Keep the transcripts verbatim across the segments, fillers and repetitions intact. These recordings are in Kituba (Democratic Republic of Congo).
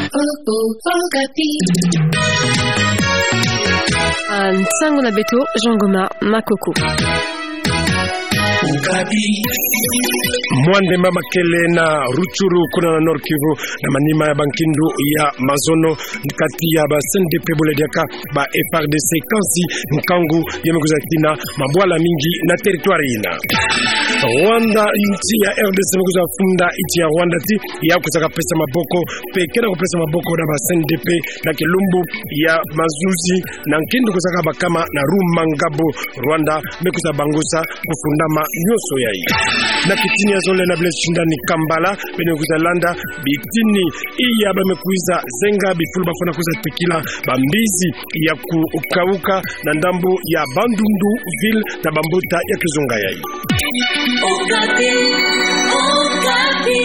Oh, oh, Okapi. Ah, nsangu na beto, Jean Goma Makoko. Okapi. Mwa ndemba makele na Rutshuru kuna na Nord-Kivu, na manima ya bankindu ya mazono kati ya ba C N D P bole diaka ba F A R D C, kansi nkangu ya me kwiza tina mabwala mingi na territoire yina. Rwanda, nsi ya R D C me kwiza funda nsi ya Rwanda ti ya kwiza kapesa maboko, mpe kena kupesa maboko na ba C N D P na kilumbu ya mazuzi na nkindu kwiza kabakama na Rumangabo. Rwanda me kwiza bangusa kufundama nyonso yayi. Na kitini ya zole na bile shindani Kampala, beno kwiza landa bitini iya ba me kwiza zenga bifulu bafwana kwiza tekila bambizi ya kukauka na ndambu ya Bandundu ville na bambuta ya kizunga yayi. Okapi, Okapi.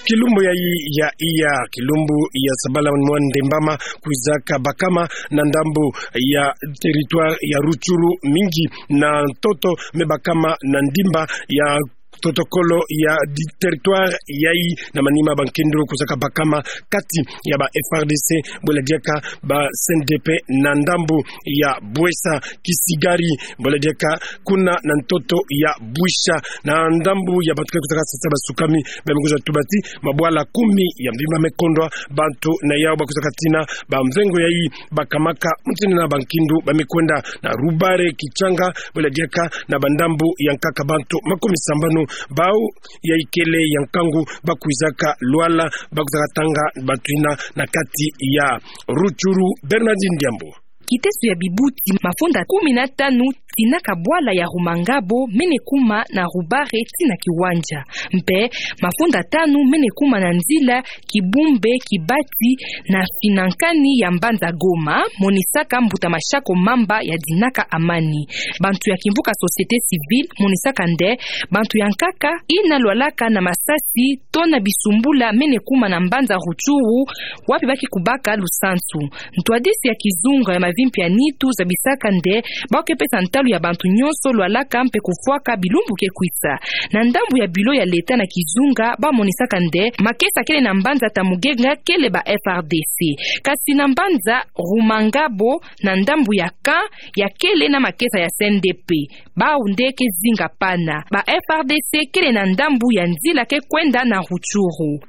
Kilumbu yayi ya iya, kilumbu ya sabala mwa ndemba ma kwiza kabakama na ndambu ya territoire ya Rutshuru mingi na ntoto me bakama na ndimba ya protocole ya di-, territoire yayi na manima bankindu kwiza kabakama kati ya ba F A R D C bole diaka ba C N D P na ndambu ya Bwesa Kisigari bole diaka kuna na ntoto ya Bwisha na ndambu ya bantu ke kwiza kasasa basukami ba me kwiza tuba ti mabwala kumi ya mvimba me kondwa bantu na yau ba kwiza katina bamvengo yayi bakamaka mutindu na bankindu ba me kwenda na Rubare Kitshanga bole diaka na bandambu ya nkaka bantu makumi sambanu bau ya ikele ya nkangu ba kwizaka lwala ba kwiza katanga bantu yina na kati ya Rutshuru. Bernardine Diambo. Kiteso ya bibuti, mafunda kumi na tanu tinaka bwala ya Rumangabo mene kuma na Rubare ti na Kiwanja. Mpe mafunda tanu mene kuma na nzila Kibumbe Kibati na finankani ya mbanza Goma, monisaka mbuta Mashako Mamba ya dinaka amani. Bantu ya kimvuka société civile monisaka nde bantu ya nkaka yina lwalaka na masasi to na bisumbula mene kuma na mbanza Rutshuru, wapi ba ke kubaka lusansu. Ntwadisi ya kizunga ya mavimpi ya nitu zabisaka nde ba ke pesa ntalu ya bantu nyonso lwalaka mpe kufwaka bilumbu ke kwisa. Na ndambu ya bilo ya leta na kizunga ba monisaka nde makesa kele na mbanza Tamugenga kele ba F R D C. Kasi na mbanza Rumangabo na ndambu ya camp ya kele na makesa ya C N D P. Bau nde ke zinga pana. Ba F R D C kele na ndambu ya nzila ke kwenda na Rutshuru.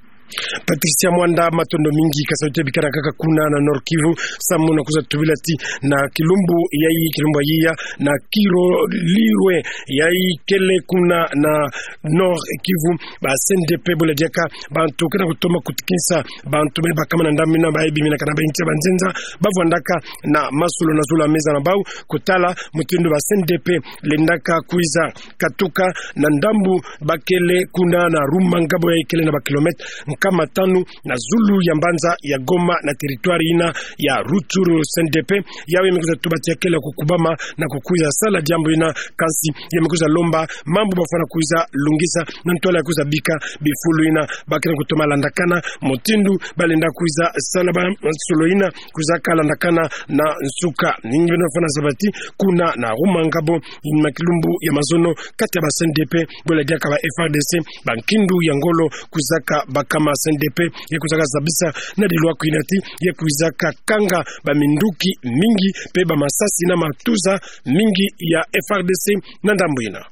Patricia Mwanda, matondo mingi, ka sa uti bikana kaka kuna na Nord-Kivu, samu na kwiza tubila ti na kilumbu yayi, kilumbu ya iya na Kiro Lirwe yayi kele kuna na Nord-Kivu, ba C N D P bole diaka bantu kena kutoma kutikinsa bantu me bakama na ndambu yina, ba ebi mina kana ba intia ba nzenza, ba vwandaka na masolo na zulu ya meza na bau, kutala mutindu ba C N D P lendaka kwiza katuka na ndambu ba kele kuna na Rumangabo yayi kele na ba kilomètre nkama tanu na zulu ya mbanza ya Goma na territoire yina ya Rutshuru. C N D P yawu ya me kwiza tuba ti ya kele kukubama na kukwiza sala diambu yina, kansi ya me kwiza lomba mambu bafwana kwiza lungisa na ntwala ya kwiza bika bifulu yina ba kele kutoma landakana mutindu ba lenda kwiza sala ba masolo yina kwiza kalandakana na nsuka. Ningi beno fwana zaba ti kuna na Rumangabo, na kilumbu ya mazono kati ya ba C N D P bole diaka ba F R D C, bankindu ya ngolo kwizaka bakama. C N D P ya kwizaka zabisa na dilwa kwina ti ya kwizaka kanga baminduki mingi mpe bamasasi na matuza mingi ya F R D C na ndambu yina.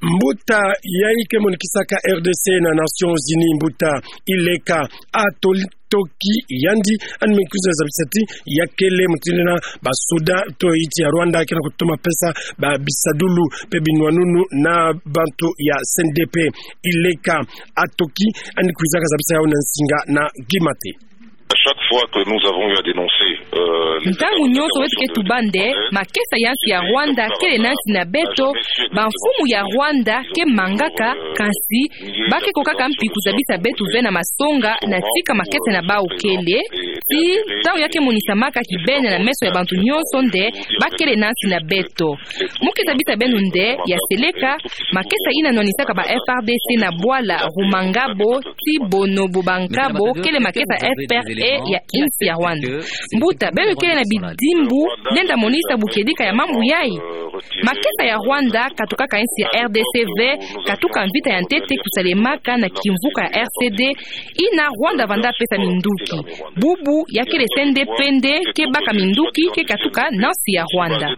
Mbuta yayi ke monikisaka R D C na Nations Unies, mbuta Ileka Atol-, Toki yandi, yandi me kwiza zabisa ti ya kele mutindu yina basoda to nsi ya Rwanda kena kutoma pesa ba bisadulu mpe binwanunu na bantu ya C N D P. Ileka Atoki, yandi kwizaka zabisa yawu na nsinga na Kimate. À chaque fois que nous avons eu à dénoncer, euh, les... Ntangu nyonso beto ke tuba nde makesa ya nsi ya Rwanda kele na nsi na beto, bamfumu ya Rwanda ke mangaka, kansi ba ke kokaka mpi kuzabisa beto ve na masonga na tika makesa na bau kele, ti ntangu ya ke monisamaka kibeni na meso ya bantu nyonso nde ba kele na nsi na beto. Mu ke zabisa beno nde ya seleka, makesa yina nwanisaka ba F R D C na bwala Rumangabo ti bono bo bankabo kele makesa F P R ya insi ya Rwanda. Mbuta, beno kele na bidimbu lenda monisa bu kedika ya mambu yayi. Makesa ya Rwanda katukaka insi ya R D C ve, katuka mvita ya ntete kusalemaka na kimvuka ya R C D, ina Rwanda vanda pesa minduki. Bubu ya kele C N D P nde ke baka minduki ke katuka na nsi ya Rwanda.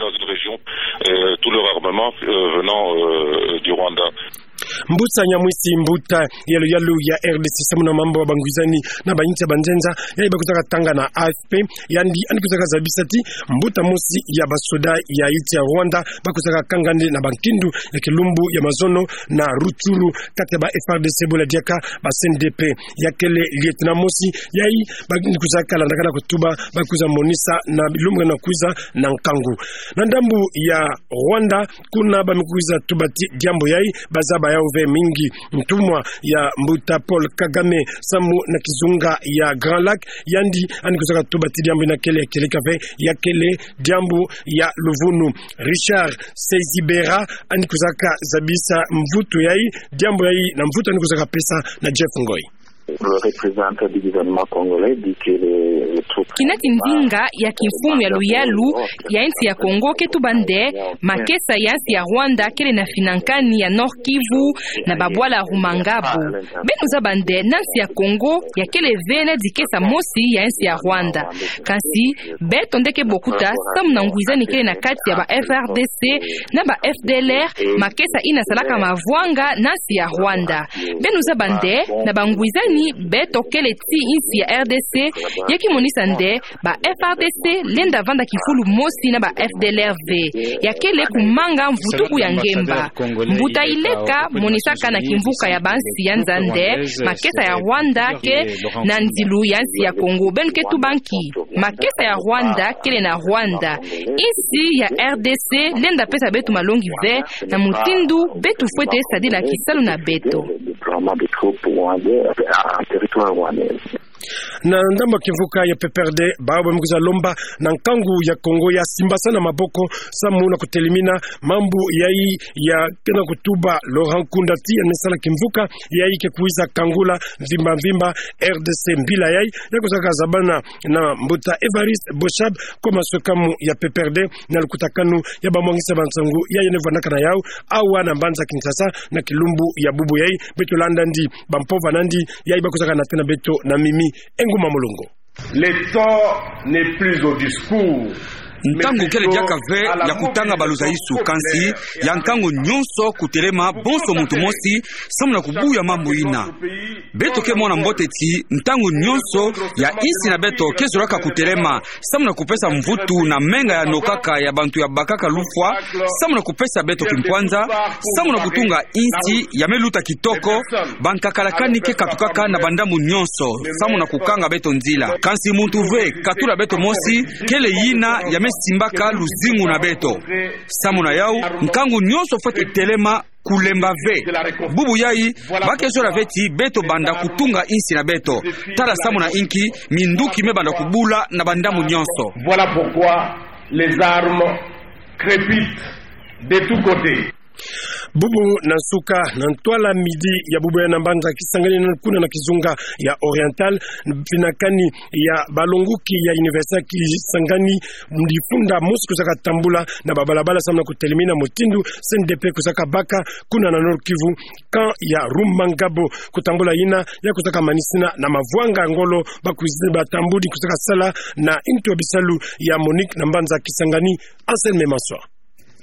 Euh, tout leur armement, euh, venant, euh, du Rwanda. Mbusa Nyamwisi, mbuta ya luyalu ya R D C samu na mambu ya bangwizani na bainsi ya banzenza, yayi bakwizaka tanga na A F P, yandi yandi kwizaka zabisa ti mbuta mosi ya basoda ya insi ya Rwanda bakwizaka kanga nde na bankindu ya kilumbu ya mazono na Rutshuru, kati ya ba F A R D C bula diaka ba C N D P. Ya kele lieutenant mosi, yayi ba, yandi kwizaka landaka na kutuba, bakwiza monisa na bilumbu na kwiza na nkangu. Na ndambu ya Rwanda, kuna bamikwiza tuba ti diambu yayi bazaba yawu ve mingi. Ntumwa ya mbuta Paul Kagame samu na kizunga ya Grand Lac, yandi yandi kwizaka tuba ti diambu yina kele ya kieleka ve, ya kele diambu ya luvunu. Richard Sezibera yandi kwizaka zabisa mvutu yayi, diambu yayi na mvutu yandi kwizaka pesa na Jeff Ngoyi. Le représentant du gouvernement congolais dit que les, les troupes... Kina ti nzinga ya kimfumu ya luyalu ya insi ya Congo ke tuba nde makesa ya insi ya Rwanda kele na finankani ya Nord-Kivu na babwala Rumangabo. Beno zaba nde na insi ya Congo ya kele ve na dikesa mosi ya insi ya Rwanda. Kansi beto nde ke bokuta samu na ngwizani kele na kati ya ba F A R D C na ba F D L R, makesa yina salaka mavwanga na insi ya Rwanda. Beno zaba nde na bangwizani beto kele ti insi ya R D C, ya kimonisa nde ba F A R D C lenda vanda kifulu mosi na ba F D L R ve. Ya kele kumanga mvutuku ya ngemba. Mbuta Ileka monisaka na kimvuka ya bansi ya nza nde makesa ya Rwanda ke na nzilu ya insi ya Congo. Beno ke tuba nki? Makesa ya Rwanda kele na Rwanda. Insi ya R D C lenda pesa beto malongi ve na mutindu beto fwete sadila kisalu na beto. Na ndambu ya kimvuka ya P P R D, bawu bamikwiza lomba na nkangu ya Congo ya simbasana maboko samu na kutelemina mambu yayi ya kena kutuba Laurent Nkunda ti yandi me sala kimvuka yayi ke kwiza kangula mvimba mvimba R D C. Mbila yayi ya kwizaka zabana na mbuta Évariste Boshab, koma sokamu ya P P R D, na lukutakanu ya bamwangisa bansangu yayi yandi vandaka na yawu awa na mbanza Kinshasa na kilumbu ya bubu yayi. Beto landa ndi bampovana ndi yayi bakwizaka nata na beto na mimi. Enguma Mulongo. Le temps n'est plus au discours. Ntangu kele diaka ve ya kutanga baluzaisu, kansi ya nkangu nyonso kutelema bonso muntu mosi samu na kubuya mambu yina. Beto ke mona mbote ti ntangu nyonso ya insi na beto ke zolaka kutelema samu na kupesa mvutu na menga ya nokaka ya bantu ya bakaka lufwa, samu na kupesa beto kimpwanza, samu na kutunga insi ya me luta kitoko. Bankakalakani ke katukaka na bandambu nyonso samu na kukanga beto nzila. Kansi muntu ve katula beto mosi kele yina ya me simbaka luzingu na beto. Samu na yawu, nkangu nyonso fwete telema, kulemba ve. Bubu yayi, ba ke zola ve ti beto banda kutunga insi na beto. Tala samu na inki minduki me banda kubula na bandambu nyonso. Voilà pourquoi les armes crépitent de tous côtés. Bubu na nsuka, na ntwala midi ya bubu yayi na mbanza Kisangani, kuna na kizunga ya Oriental, finankani ya balonguki ya Université ya Kisangani, ndifunda mosi kwizaka tambula na babalabala samu na kutelemina mutindu C N D P kwizaka baka kuna na Nord-Kivu, camp ya Rumangabo. Kutambula yina ya kwizaka manisina na mavwanga ya ngolo bakwizi batambuli kwizaka sala na ntu ya bisalu ya MONUC na mbanza Kisangani. Anselme Maswa.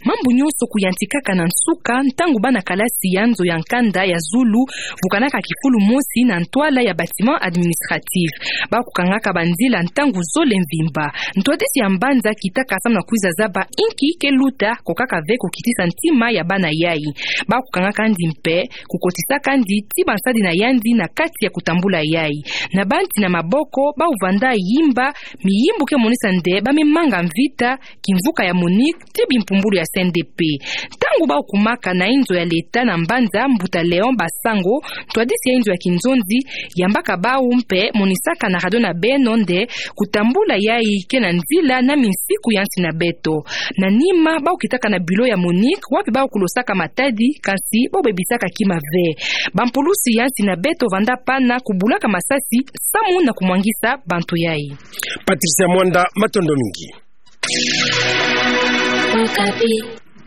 Mambu nyonso kuyantikaka na nsuka ntangu bana kalasi ya nzo ya nkanda ya zulu vukanaka kifulu mosi na ntwala ya bâtiment administratif. Ba kukangaka banzila ntangu zole mvimba. Ntwadisi ya mbanza kitaka samu na kwiza zaba inki ke luta, kokaka ve kukitisa ntima ya bana yayi. Ba kukangaka ndi mpe kukotisaka ndi ti bansadi na yandi na kati ya kutambula yayi. Na banti na maboko, ba uvanda yimba miyimbu ke monisa nde ba me manga mvita, kimvuka ya MONUC, ti bimpumbulu ya C C N D P. Ntangu bau kumaka na inzo ya leta na mbanza, mbuta Léon Basango, ntwadisi ya inzo ya kinzonzi, yambaka bau mpe monisaka na radio na beno nde kutambula yayi ke na nzila na minsiku ya nsi na beto. Na nima, bau kitaka na bureau ya Monique, wapi bau kulosaka matadi, kansi bau bebisaka kima ve. Bampulusi ya nsi na beto vanda pana kubulaka masasi samu na kumwangisa bantu yayi. Patricia Mwanda, matondo mingi.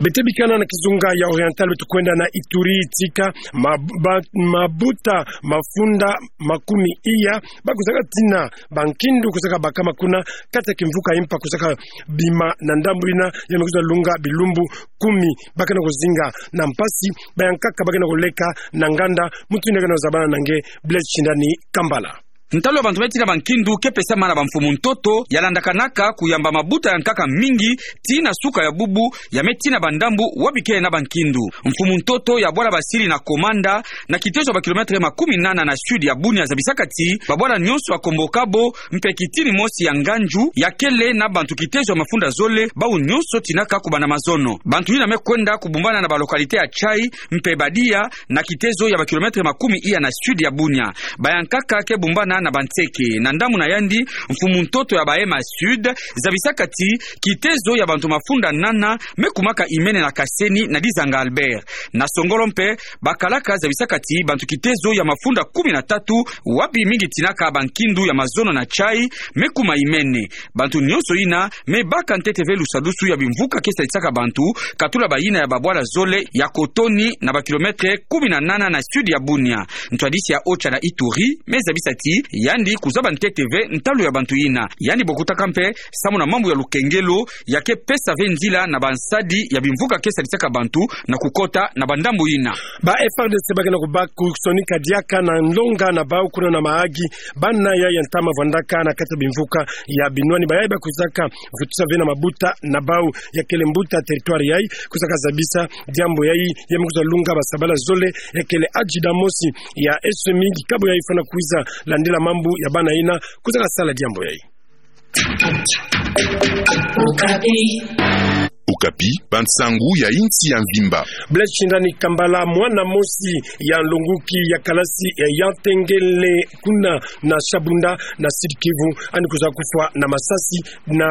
Beto bikana na kizunga ya Oriental, beto kwenda na Ituri. Tika mab-, mabuta mafunda makumi iya bakusaka tina bankindu kusaka bakama kuna kati ya kimvuka impa kusaka bima na ndambu ina ya me kuza lunga bilumbu kumi bakana kuzinga na mpasi, bayankaka bakana kuleka na nganda. Muntu ina kana zabana na nge, Blaise Shindani Kambala. Ntalu ya bantu me tina bankindu ke pesama na bamfumu ntoto yalandakanaka kuyamba mabuta yankaka mingi tii na suka ya bubu ya me tina bandambu wapi ke na bankindu. Mfumu ntoto ya bwala basili na Komanda, na kitezo ya bakilometre makumi nana na sud ya Bunia, zabisaka ti babwala nyonso ya Kombokabo mpe kitini mosi ya Nganju ya kele na bantu kitezo ya mafunda zole, bau nyonso tinaka kubanda mazono. Bantu ina me kwenda kubumbana na balocalité ya Tchai mpe Badia, na kitezo ya bakilometre makumi iya na sud ya Bunia. Bayankaka ke bumbana na banseke. Na ndambu na yandi, mfumu ntoto ya Bahema Sud zabisaka ti kitezo ya bantu mafunda nana me kumaka imene na Kaseni na Dizanga Albert. Na Songolo mpe, bakalaka zabisaka ti bantu kitezo ya mafunda kumi na tatu, wapi mingi tinaka bankindu ya mazono na Tchai, me kuma imene. Bantu nyonso ina me baka ntete ve lusadusu ya bimvuka ke salisaka bantu, katula bayina ya babwala zole ya Kotoni, na bakilometre kumi na nana na sud ya Bunia. Ntwadisi ya OCHA na Ituri me zabisa ti yandi kuzaba ntete ve ntalu ya bantu ina. Yandi bokutaka mpe samu na mambu ya lukengelo ya ke pesa ve nzila na bansadi ya bimvuka ke salisaka bantu na kukota na bandambu ina. Ba F A R D C bakana kubaka kusonika diaka na nlonga na bau kuna na Mahagi, bana ya ya ntama vandaka na kati ya bimvuka ya binwani. Bayayi bakusaka vutisa ve na mabuta na bau ya kele mbuta territoire yayi, kusaka zabisa diambu yayi, ya me kuza lunga basabala zole, ya kele adjudant mosi ya S M I, kikabo yayi fwana kwiza landila mambu ya bana ina, kusaka sala diambu yayi. Okapi. Okapi, bansangu ya insi ya mvimba. Blaise Shindani Kambala, mwana mosi ya nlonguki ya kalasi ya Yantengele kuna na Shabunda na Sud-Kivu, yandi kuza kufwa na masasi na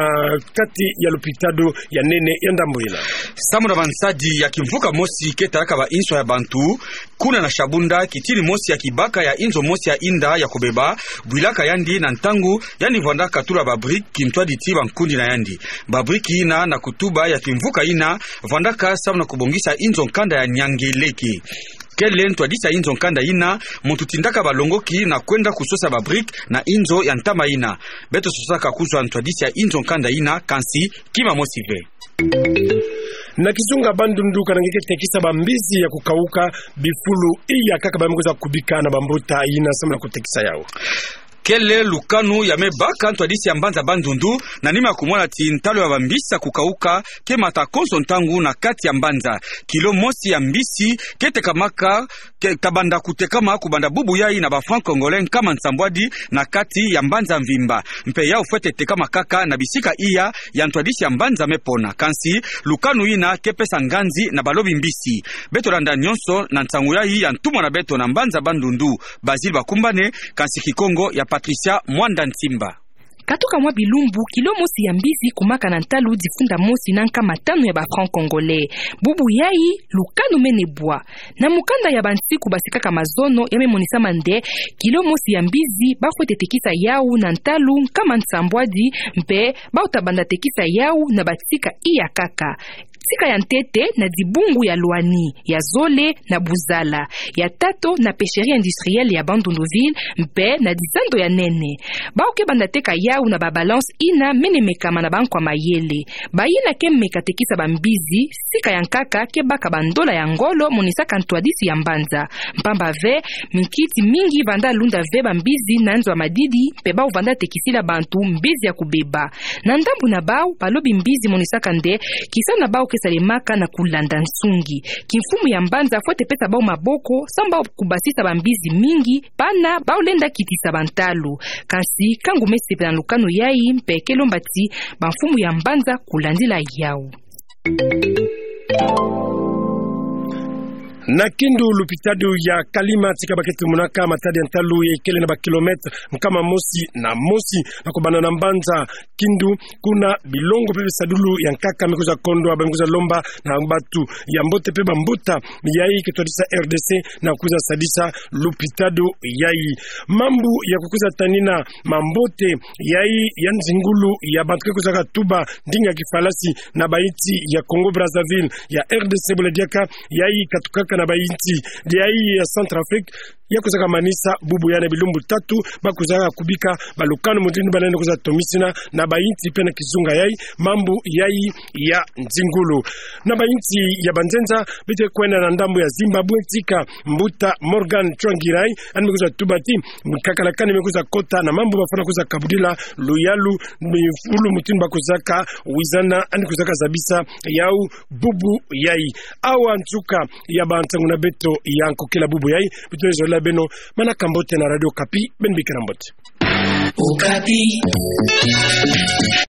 kati ya lupitalo ya nene ya ndambu ina. Samu na bansadi ya kimvuka mosi ke talaka ba inswa ya bantu, kuna na Shabunda, kitini mosi ya kibaka ya inzo mosi ya inda ya kobeba bwilaka yandi na ntangu yandi vwanda katula ba brique, kintwadi ti bankundi na yandi. Ba brique ina na kutuba ya kimvuka ina vwandaka samu na kubongisa inzo nkanda ya Nyangeleke. Kele ntwadisi ya inzo nkanda ina, muntu tindaka balongoki na kwenda kusosa ba brique na inzo ya ntama ina. Beto sosaka kuzwa ntwadisi ya inzo nkanda ina, kansi kima mosi ve. Na kizunga Bandundu, kana nge ke tekisa bambizi ya kukauka bifulu iya kaka ba me kuza kubika na bambuta ina samu na kutekisa yau. Kele lukanu ya me baka ntwadisi ya mbanza Bandundu, na nima ya kumona ti ntalu ya bambizi ya kukauka ke mata konso ntangu na kati ya mbanza. Kilo mosi ya mbizi ke tekamaka, ke tabanda kutekama kubanda bubu yayi na ba francs congolais nkama nsambwadi na kati ya mbanza mvimba. Mpe yau fwete tekama kaka na bisika iya ya ntwadisi ya mbanza me pona. Kansi lukanu ina ke pesa nganzi na balobi mbizi. Beto landa nyonso na nsangu yayi ya ntumwa na beto na mbanza Bandundu, Basil Bakumbane, kansi Kikongo ya Patricia Mwanda Ntimba. Katuka mwa bilumbu, kilo mosi ya mbizi kumaka na ntalu difunda mosi na nkama tanu ya ba francs congolais. Bubu yayi, lukanu mene bwa. Na mukanda ya bansiku basikaka mazono, ya me monisama nde kilo mosi ya mbizi ba fwete tekisa yau na ntalu nkama nsambwadi, mpe bau tabanda tekisa yau na batika iya kaka. Tika ya ntete na dibungu ya Loani, ya zole na Buzala, ya tato na pêcherie industrielle ya Bandundu ville, mpe na dizando ya nene. Bau ke banda teka yau na ba balance ina mene mekama na bankwa mayele. Bayina ke meka tekisa bambizi, sika ya nkaka ke baka bandola ya ngolo, monisaka ntwadisi ya mbanza. Mpamba ve, minkiti mingi vanda lunda ve bambizi na nzo ya madidi, mpe bau vanda tekisila bantu mbizi ya kubeba. Na ndambu na bau, balobi mbizi monisaka nde, kisa na bau ke salemaka na kulanda nsungi. Kimfumu ya mbanza fwete pesa bau maboko, samu bau kubasisa bambizi mingi, pana bau lenda kitisa bantalu. Kansi, kangu me sepela na lukanu yayi, mpe ke lomba ti bamfumu ya mbanza kulandila yau. Na Kindu, lupitalo ya Kalima tika baketi monaka matadi ya ntalu ya ikele na ba kilomètre nkama mosi na mosi, na kobanda na mbanza Kindu, kuna bilongo mpe bisadulu ya nkaka mikwiza kondwa, ba mikwiza lomba na bantu ya mbote mpe bambuta yayi ke twadisa R D C na kwiza sadisa lupitalo yayi. Mambu ya kukwiza tanina mambote yayi ya nzingulu ya bantu ke kwizaka tuba ndinga kifalasi na bainsi ya Congo Brazzaville, ya R D C bula diaka, yayi katukaka na bainsi yayi ya Centrafrique, ya kwizaka manisa bubu yayi na bilumbu tatu, ba kwizaka kubika balukanu mutindu bana yandi kwiza tomisina na bainsi mpe na kizunga yayi, mambu yayi ya nzingulu. Na bainsi ya banzenza, beto ke kwenda na ndambu ya Zimbabwe tika mbuta Morgan Tsvangirai, yandi me kwiza tuba ti, mikakalakani me kwiza kota na mambu bafwana kwiza kabudila luyalu, mifulu mutindu ba kwizaka wizana, yandi kwizaka zabisa yau bubu yayi. Awa nsuka ya bansangu na beto ya nkokila bubu yayi, beto zolila beno manaka mbote na Radio Okapi, beno bikira mbote. Okapi.